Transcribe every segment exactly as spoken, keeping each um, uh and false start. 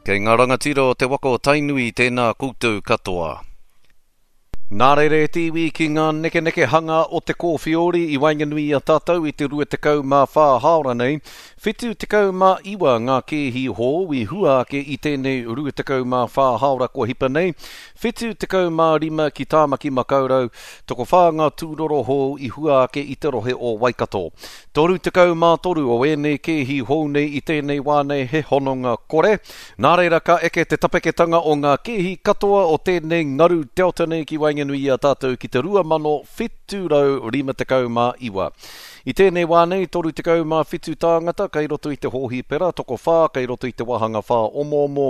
Kei ngā rangatira o te waka o Tainui, tēnā koutou katoa. Nā reira e te iwi ki ngā nekenekehanga o te kōwhiori i waenganui i a tātou i te rua tekau mā whā hāora nei, whitu tekau mā iwa ngā kēhi hou i hua ake i tēnei rua tekau mā whā hāora kua hipa nei, whitu tekau mā rima ki Tāmaki Makaurau, tokowhā ngā tūroro hou i hua ake i te rohe o Waikato. Toru tekau mā toru o ēnei kēhi hou nei i tēnei wā nei he hononga kore. Nā reira ka eke te tapeketanga o ngā kēhi katoa o tēnei ngaru Delta nei ki waenganui i a tātou ki te rua mano whitu rau rima tekau mā iwa. I tēnei wā nei, toru tekau mā whitu tāngata kei roto i te hōhipera, tokowhā kei roto i te wāhanga whā omoomo.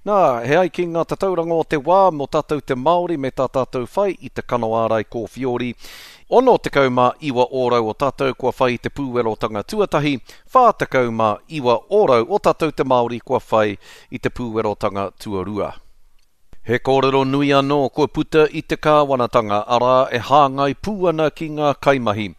Nā, he ai ki ngā tatauranga o te wā mō tātou te Māori me tā tātou whai i te kano ārai kōwhiori. Ono tekau mā iwa ōrau o tātou kua whai i te pūwerotanga tuatahi, whā tekau mā iwa ōrau o tātou te Māori kua whai i te pūwerotanga tuarua. He kōrero nui anō kua puta i te kāwanatanga, arā e hāngai pū ana ki ngā kaimahi.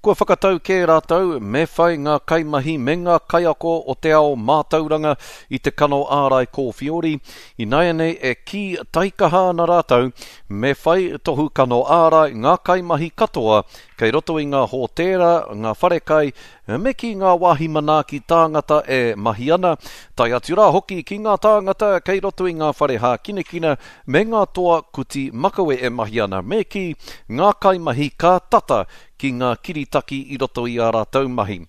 Kua whakatau kē rātou me whai ngā kaimahi me ngā kaiako o te ao mātauranga i te kano ārai kōwhiori, ināianei e kī taikaha ana rātou me whai tohu kano ārai ngā kaimahi katoa kei roto i ngā hōtēra, ngā wharekai, me ki ngā wāhi manaaki tāngata e mahi ana, tae atu rā hoki ki ngā tāngata kei roto i ngā whare hākinakina me ngā toa kuti makawe e mahi ana, me ki ngā kaimahi ka tata ki ngā kiritaki i roto i ā rātou mahi.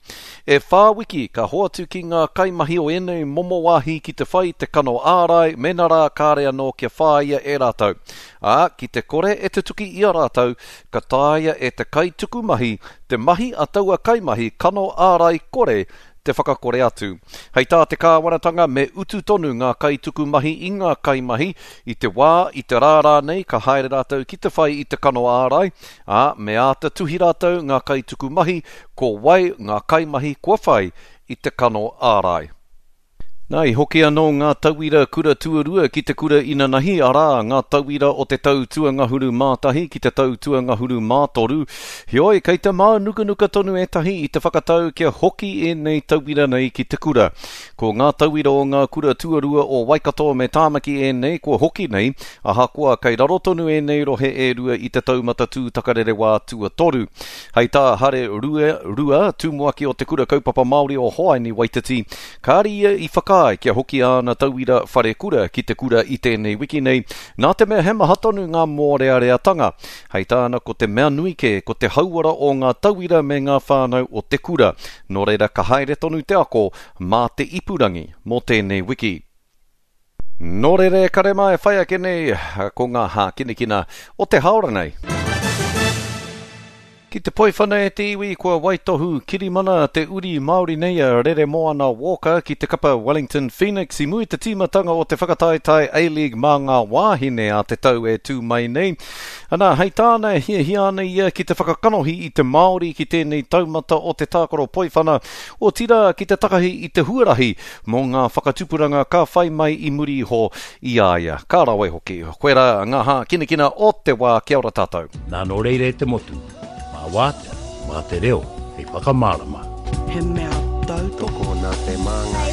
E whā wiki ka hoatu ki ngā kaimahi o ēnei momo wāhi ki te whai te kano ārai mēnā rā kāre anō kia whāia e rātou. Ā, ki te kore e tutuki i a rātou, ka taea e te kaituku mahi te mahi a taua kaimahi kano ārai kore te whakakore atu. Hei tā te kāwanatanga me utu tonu ngā kaituku mahi i ngā kaimahi i te wā, i te rā rānei ka haere rātou ki te whai i te kano ārai, ā, me āta tuhi rātou ngā kaituku mahi ko wai ngā kaimahi kua whai i te kano ārai. Nā, i hoki anō ngā tauira kura tuarua ki te kura inanahi, arā, ngā tauira o te tau tuangahuru mātahi ki te tau tuangahuru mātoru. Heoi, kei te mānukanuka tonu ētahi i te whakatau kia hoki ēnei tauira nei ki te kura. Ko ngā tauira o ngā kura tuarua o Waikato me Tāmaki ēnei kua hoki nei, ahakoa kei raro tonu ēnei rohe e rua i te taumata tūtakarerewā tuatoru. Hei tā Hare Rua, Rua, tumuaki o te kura kaupapa Māori o Hoaini Waititi, kāre ia i whakaae kia hoki āna tauira wharekura ki te kura i tēnei wiki nei, nā te mea he maha tonu ngā mōreareatanga. Hei tāna ko te mea nui kē, ko te hauora o ngā tauira me ngā whānau o te kura. Nō reira ka haere tonu te ako mā te ipurangi mō tēnei wiki. Nō reira e kare mā e whai ake nei ko ngā hākinakina o te hāora nei. Ki te poiwhana e te iwi kua waitohu kirimana te uri Māori nei a Reremoana Walker ki te kapa Wellington Phoenix i mua i te tīmatanga o te whakataetae A-League mā ngā wāhine a te tau e tū mai nei. Ana, hei tāna e hiahia ana ia ki te whakakanohi i te Māori ki tēnei taumata o te tākaro poiwhana, otirā ki te takahi i te huarahi mō ngā whakatupuranga ka whai mai i muri iho i a ia. Ka rawe hoki. Koirā ngā hākinakina o te wā. Kia ora tātou. Nā nō reira e te motu, mā wātea, mā te reo, hei whakamārama. He mea tautoko. Tokona te māngai.